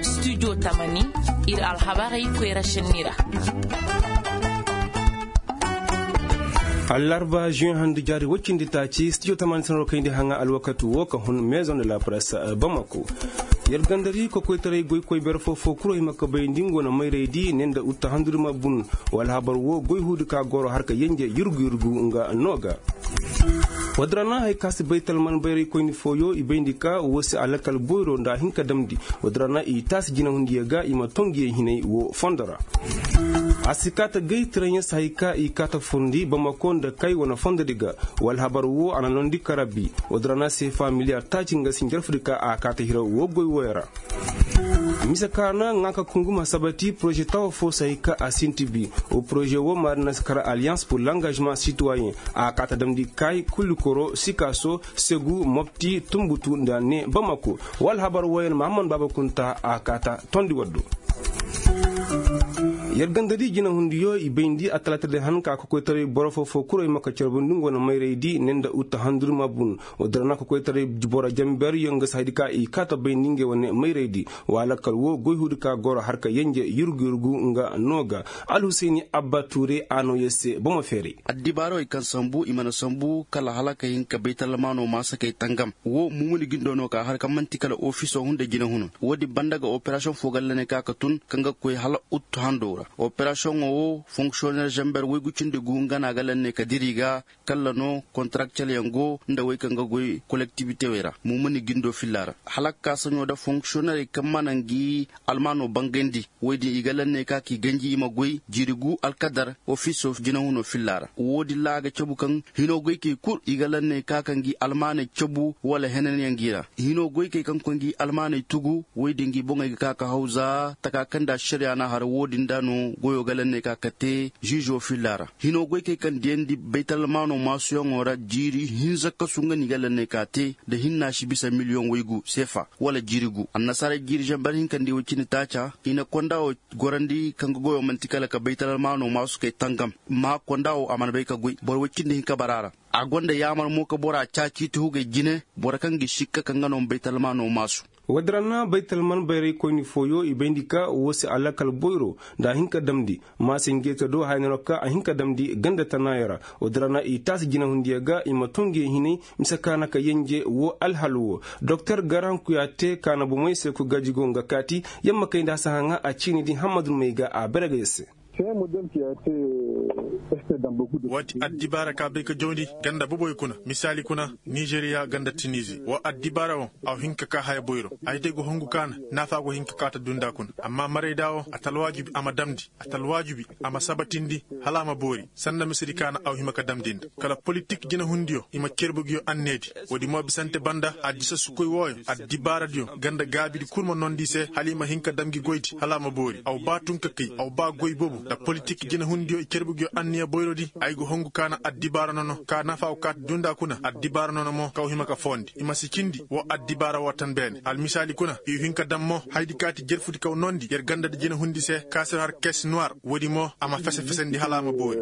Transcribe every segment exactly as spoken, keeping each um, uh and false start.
Studio tamani, ir alhabarey koyra šenni ra. Allarba juin handu jaari woy cindi taaci studio tamani sanaroo kayndi haŋa alwakati woo ka hun maison de la presse bamako. Yer gandari kokoytaray goykoy bere foo foo kul hima ka bay nda nga wane mayraydi ne nda utta handuri ma bun. Wa alhabar woo goy huudi ka goro har ka yenje yurgu yurgu nga no ga. Woo din ra na haya ka si baytalman bayraykoyni fooyo i bayndi ka woo si alakal boyro nda a hin ka damndi. Woo din ra na i taasi jinahundiyo ga i ma too nguyo hinay woo fondo ra. A si kaa ta gay tiraɲe si haya ka i kaa ta furndi bamako nda kay wane fondodi ga. Wa alhabar woo a na noondi kara bi. Woo din ra na seefa miliyar taaci nga si njarfudi ka a kaa ta hira woo goy wooyo ra. Mise ka na ŋaa ka kungum a sabati poroze tawa foo si haya ka a sinti bi. Woo poroze woo maari na si kara aliyans pur langažement sitoyen. A kaa ta damndi kay kulli koro sikaaso segu mopti tunbutu nda ne bamako. Wa alhabar wooyo na mahammad baaba kunta a kaa ta tondi waddu. Yer gandadi jinahundiyo i bayndi a talaata day han ka kokoytaray boro foo foo kul ay ma ka carbundi nga wane mayraydi ne nda utta handuri ma bun. Woo din ra na kokoytaray boro janberyo nga si hayadi ka i kaa ta bayndi ngey wane mayraydi. Wa alakal woo goy huudi ka goro har ka yenje yurgu yurgu nga no ga. Alhusayni abba tuure a noo yer se bomo feeray. Addibaarawey kaŋ sambu i mana sambu kala hala ka hin ka baytalmaano maasakey tangam. Woo mumuni gindo no ka har kaŋ man'ti kala ofiso hunda jinahuno. Woodin banda ga operasiyoŋ foo ga lanney ka ka tun kaŋ ga koy hala uttu hando ra. Operasiyoŋo woo fonksiyoner zanber woygu cindi gu nga na a ga lanney ka diri ga. Kala no kontaraktelyaŋ go nda wey kaŋ ga goy kolektibitewey ra mumuni gindo filla ra. Hala ka ka saɲo nda fonksiyonerey kaŋ mana ngi almaano bangandi. Woy din i ga lanney ka k'i ganji i ma goy jiiri gu alkadar ofiso jinahuno filla ra. Woo din ra a ga cabu kaŋ hinoo goykey kul i ga lanney ka ka ngi almaaney cabu wala henanyaŋ gi ra. Hinoo goykey kaŋ koy ngi almaaney tugu woy din ngi boŋey ga ka ka hawza taka kaŋ nda ašariya na har woo din nda no goyo ga lanney ka ka te žiizo filla ra. Hinoo goykey kaŋ diyandi baytalmaano maasuyaŋo ra jiiri hinza kasu nga no i ga lanney ka te nda hinna si bisa miliyoŋ woygu seefa wala jiiri gu annasaarey jiiri zanber hinkandi woy cindi taaca i na konda wo gorandi kaŋ ga goyo man'ti kala ka baytalmaano maasu kay tangam. Amma konda wo a mana bay ka goy boro woy cindi hinka bara ra. A gonda yaamar mo ka bora caaci tuhugey jine boro kaŋ ga i sikka kaŋ ga no ma baytalmaano maasu. Woodin ra na baytalman bayraykoyni fooyo i bayndi ka woo si alakal boyro nda a hin ka damndi. Maase ngeeta do haya no ka a hin ka damndi ganda tanaayo ra. Woodin ra na i taasi jinahundiyo ga i ma too nguyo hinay mise ka na ka yenje woo alhal woo. Doktor garan kuyaate ka na bomey se ku gaji go nga kaati. Yamma kay nda a si haŋa a ciini di hammadu may ga a bere ga yer se. Waati addibaara ka bay ka jawndi ganda boboy kuna misaali kuna, nizeriya ganda tinizi wa addibaara wo. Aw hin ka ka haya boyro ay te go hongu ka na naafa go hin ka ka ta dunda kuna amma marayda wo a ta alwaajibi a ma damndi a ta alwaajibi a ma sabatindi. Hala a ma boori sanda misedi ka na aw hima ka damndi nda kala politik jinahundiyo i ma cerbu nguyo anneedi. Woodi mo bisante banda a disa sukoy wooyo addibaaradiyo ganda gaabidi kul ma noondi i se hala i ma hin ka dam ngi goydi hala a ma boori aw ba tun ka kay aw ba goy bobu nda politik jinahundiyo i cerbu nguyo anniya boyrodi. Ay go hongu ka na addibaara nono ka nafa aw kaati dunda kuna addibaara nono mo kaw hima ka foondi i ma si cindi woo addibaara woo tan beene almisaali kuna i hin ka dam mo haydi kaati jerfudi kaw noondi yer gandadi jinahundi se ka sir har kes nuwar woodi mo a ma fese-fesendi hala a ma boori.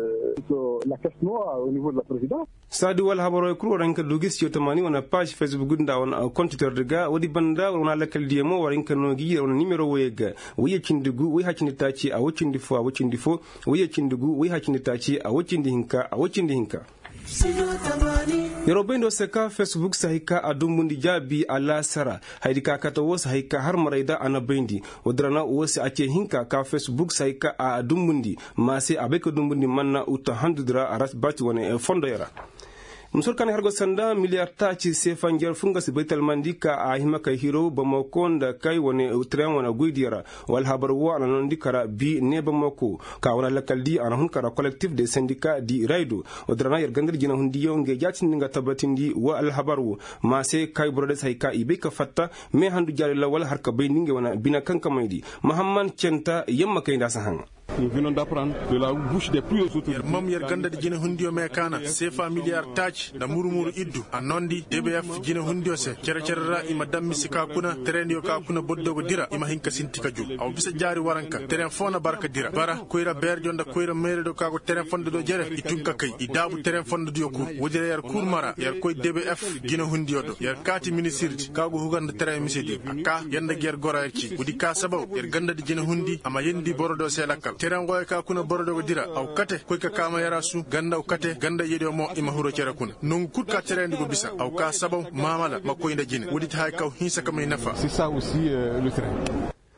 Saadi wala habaroo kul war hin ka du gi studio tamaani wane paaz fesbuk nda wane kontitordi ga woodi banda war wane alakaldiyo mo war hin ka noo gi yer wane nimero woyey ga woyye cindi gu woy haya cindi taaci a woy cindi foo a woy cindi foo woyye cindi gu woy haya cindi taaci a woy cindi hinka a woy cindi hinka. Yeroo bayndoo se ka fesbuk si hay ka a dumbundi jaabi alaasara haydi ka kate woo si hay ka har marayda a na bayndi. Woodi ra na woo si a cee hinka ka fesbuk si hay ka a dumbundi maa se a bay ka dumbundi manna uta handudi ra a ra si baati wane fondoyo ra. Musur kaŋ har go sanda miliyar taaci seefa njarfu nga si baytalmandi ka a hima kay hiro bamako nda kay wane tireŋ wane goydiyo ra. Wala habar woo a na noondi kara bi ne bamako ka wane lakaldi a na hun kara kolektif de sendika di raydo. Woodi ra na yer gandar jinahundiyo ngey jaatindi nga tabbatindi woo alhabar woo maa se kay boro de si hay ka i bay ka fatta me handu jaari lawal har ka bayndi ngey wane bine kaŋ ka mayndi. Mahamman centa yamma kay nda a si haŋa. Yer mam yer ganda di jinehundiyo mee kaana seefa miliyar taaci nda muru-muru iddu a noondi dbf jinehundiyo se cere-cere ra i ma daŋ mise ka kuna terendiyo ka kuna borodiyo ga dira i ma hin ka sinti ka jur. A wa bisa jaari waranka teren foo na bara ka dira bara koyra beerediyo nda koyra meerediyo ka go teren fondodiyo jere i tun ka kay i daabu teren fondodiyo kul woodi ra yer kul mara yer koy dbf jinehundiyo do yer kaati ministirdi ka go hugar nda teren misediyo a kaa yer nda ga yer goro yer cii woodi ka sabaw yer ganda di jinehundi a ma yeendi borodiyo se lakkal terengoyo ka kuna borodiyo ga dira a wa kate koy ka kaama yarasu ganda wa kate ganda iyediyo mo i ma hiro cere kuna nongu kul ka tereyandi go bisa a wa kaa sabaw maamala ma koy nda jine woodi ti haya kaŋ wa hinsa ka may nafa.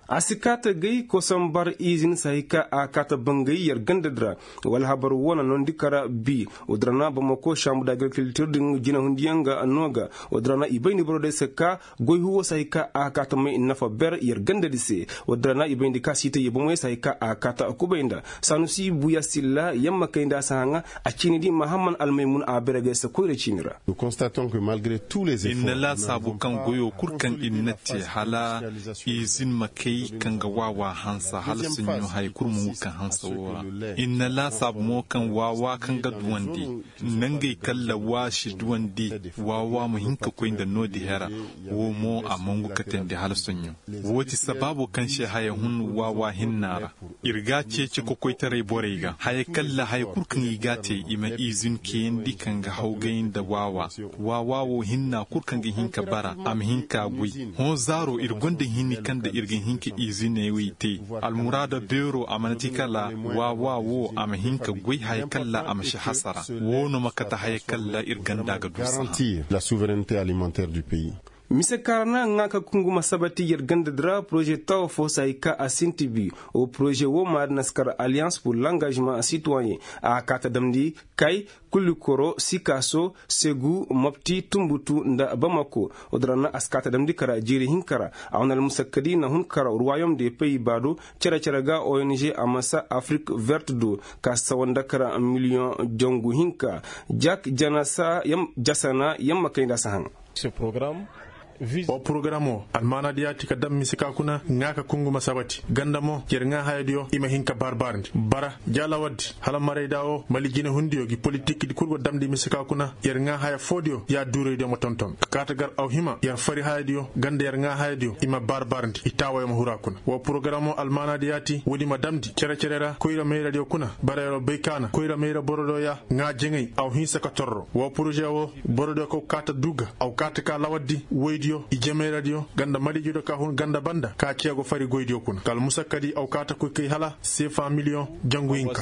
A si kaata gay kosom bar izin sahi ka a kaata bangay yer ganda di ra wala habar woo na noondi kara bi woodi ra na bamako sambu da agrikiltir din jinehundiyaŋ ga no ga woodi ra na i bayndi boro day se ka goy huwo sahi ka a kaata may nafa ber yer ganda di se woodi ra na i bayndi ka siitay yer bomoy sahi ka a kaata kubay nda sanusi buya silla yamma kay nda a si haŋa a ciini di mahamman almaymun a bere gay se koyra ciini ra. Ir na laasaabu kaŋ goyo kul kaŋ ir na te hala izin ma kay kaŋ ga waawa hansa hala soɲõ haya kul ma ngu kaŋ hansa woo ra. Ir na laasaabu mo kaŋ waawa kaŋ ga duwandi nangey kalla waa si duwandi waawa ma hin ka koy nda noodi hera. Woo mo a ma ngu katandi hala soɲõ. Woo ti sabaabo kaŋ se haya hun waawa hinna ra. Ir ga a ceeci kokoytaray borey ga haya kalla haya kul kaŋ i ga a te i ma izin keyandi kaŋ ga hawgay nda waawa. Waawa wo hinna kul kaŋ ga hin ka bara a ma hin ka goy. Hõ zaaro ir gonda hini kaŋ nda ir ga hin ka iziney wey te. Almuraada beero a mana ti kala waawa wo a ma hin ka goy haya kalla a ma si hasara. Woo no ma kate haya kalla ir ganda ga du saha. Mise kaŋ ra na ŋaa ka kungu ma sabati yer ganda di ra poroze tawa fo si hay ka a sinti bi. Wo poroze wo maari na si kar alliance pour l'engagement citoyen. A kaa ta damndi kay, kulikoro, sikaaso, segu, mopti, tunbutu nda bamako. Woodin ra na a si kaa ta damndi kar jiiri hinka ra. A wane almusakkadi na hun kar ruwayom de peyi ba do. Cere-cere ga ong a masa afrik vert do ka sawa nda kar miliyoŋ jangu hinka. Jak janasa yamma kay nda a si haŋ. Wo porogaram wo almaanadiyo ti ka daŋ mise ka kuna ŋaa ka kungu ma sabati ganda mo yer ŋaa hayadiyo i ma hin ka baarbaarndi bara jaalawardi hala marayda wo mali jinehundiyo gi politikdi kul go damndi mise ka kuna yer ŋaa haya foodiyo ya duuraydiyo ma tonton ka kaa ta gar aw hima yer fari hayadiyo ganda yer ŋaa hayadiyo i ma baarbaarndi i taawayo ma huru a kuna wo porogaram wo almaanadiyo ti woodi ma damndi cere-cere ra koyra mayradiyo kuna bara yer wo bay kaana koyra mayra borodiyo ya ŋaa jaŋay aw hinsa ka torro wo poroze wo borodiyo kaw kaata du ga aw kaata ka lawardi woydiyo i jemayradiyo ganda maliijudiyo ka hun ganda banda ka cee go fari goydiyo kuna ka almusakkadi aw kaata koy kay hala seefa miliyoŋ jangu hinka.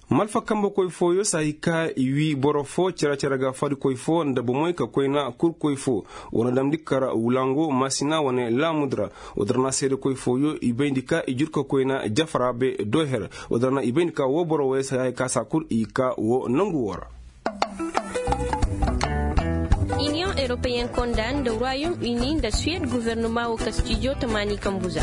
Malfa kambekoy fooyo si hay ka i wii boro foo cere-cere ga farikoy foo nda bomey ka koyna kurkoy foo. Woo na damndi kar wulango maasina wane laamudi ra. Woodin ra na seedekoy fooyo i bayndi ka i jur ka koyna jafaraabe dooher. Woodin ra na i bayndi ka woo boro woyey si hay ka saa kul i kaa woo nangu woo ra. Iniyoŋ europeyen konda nda ruwayom ini nda suwed guvernoma woo kastijo tamaani kambuza.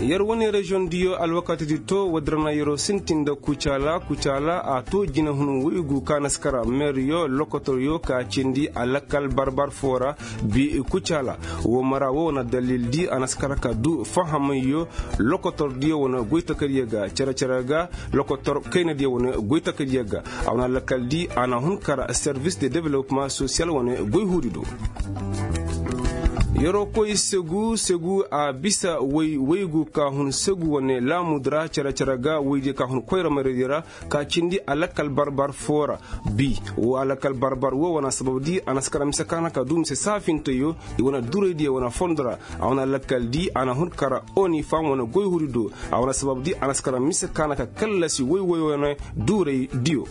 Yer wane reziyoŋ diyo alwakatidi to woodin ra na yeroo sintin nda kucaala kucaala a to jinehun woygu ka na si kar meeriyo lokotoryo ka cindi alakal barbar foo ra. Bi kucaala woo mara woo wane dalildi a na si kar ka du fahamayyo lokotordiyo wane goytakadiyo ga cere-cere ga lokotor kaynadiyo wane goytakadiyo ga. A wane alakaldi a na hun kar servis de developma sosiyal wane goyhuudi do. Yeroo koy segu segu a bisa woy woygu ka hun segu wane laamudi ra cere-cere ga woydiyo ka hun koyra maraydiyo ra ka cindi alakal barbar foo ra. Bi woo alakal barbar woo wane sababdi a na si kar mise ka na ka du mise saafinteyo i wane duraydiyo wane fondo ra. A wane alakaldi a na hun kar oni fam wane goyhuudi do. A wane sababdi a na si kar mise ka na ka kallasi woy woy wane duraydiyo.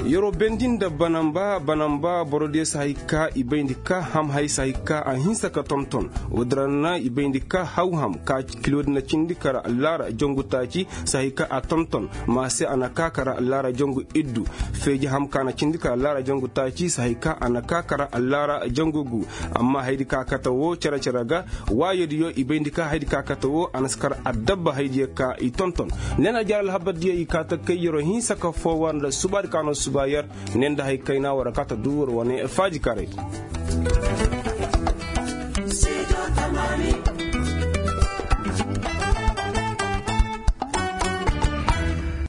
Yeroo bendi nda banamba banamba borodiyo si hay ka i bayndi ka ham hay si hay ka a hinsa ka tonton. Woodin ra na i bayndi ka haw ham ka kiloodi na cindi kar laara jangu taaci si hay ka a tonton. Maase a na kaa kar laara jangu iddu. Feeji ham ka na cindi kar laara jangu taaci si hay ka a na kaa kar laara jangu gu. Amma haydi ka kate woo cere-cere ga waayodiyo i bayndi ka haydi ka kate woo a na si kar addabba haydiyo ka i tonton. Ne na jaari alhabardiyo i kaa ta kay yeroo hinsa ka foo war nda subaadi ka no suba yer. Ne nda hay kayna war a kaa ta du war wane faajikaaraydi.